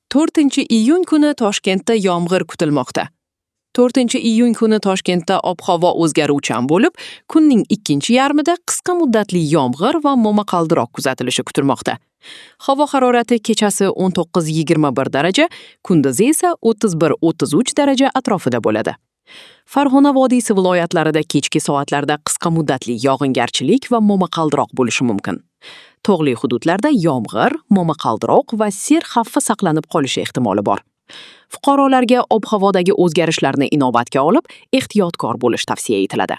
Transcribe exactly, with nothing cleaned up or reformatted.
To'rtinchi iyun kuni Toshkentda yomg'ir kutilmoqda. To'rtinchi iyun kuni Toshkentda ob-havo o'zgaruvchan bo'lib, kunning ikkinchi yarmida qisqa muddatli yomg'ir va momaqaldiroq kuzatilishi kutilmoqda. Havo harorati kechasi o'n to'qqiz yigirma bir daraja, kunduzi esa o'ttiz bir o'ttiz uch daraja atrofida bo'ladi. Farg'ona vodiysi viloyatlarida kechki soatlarda qisqa muddatli yog'ingarchilik va momaqaldiroq bo'lishi mumkin. Tog'li hududlarda yomg'ir, momaqaldiroq va sel xavfi saqlanib qolishi ehtimoli bor. Fuqarolarga ob-havodagi o'zgarishlarni inobatga olib, ehtiyotkor bo'lish tavsiya etiladi.